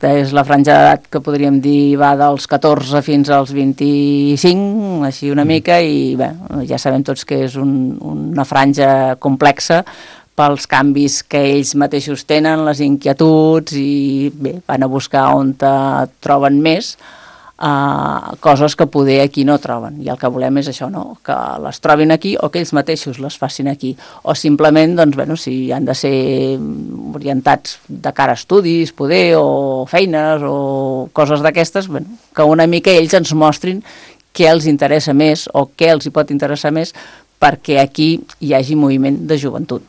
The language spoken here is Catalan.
És la franja d'edat que podríem dir va dels 14 fins als 25, així una mica, i bé, ja sabem tots que és una franja complexa pels canvis que ells mateixos tenen, les inquietuds, i bé, van a buscar on troben més coses que poder aquí no troben, i el que volem és això, no? Que les trobin aquí o que ells mateixos les facin aquí, o simplement, doncs, bueno, si han de ser orientats de cara a estudis, poder, o feines, o coses d'aquestes, bueno, que una mica ells ens mostrin què els interessa més o què els hi pot interessar més perquè aquí hi hagi moviment de joventut.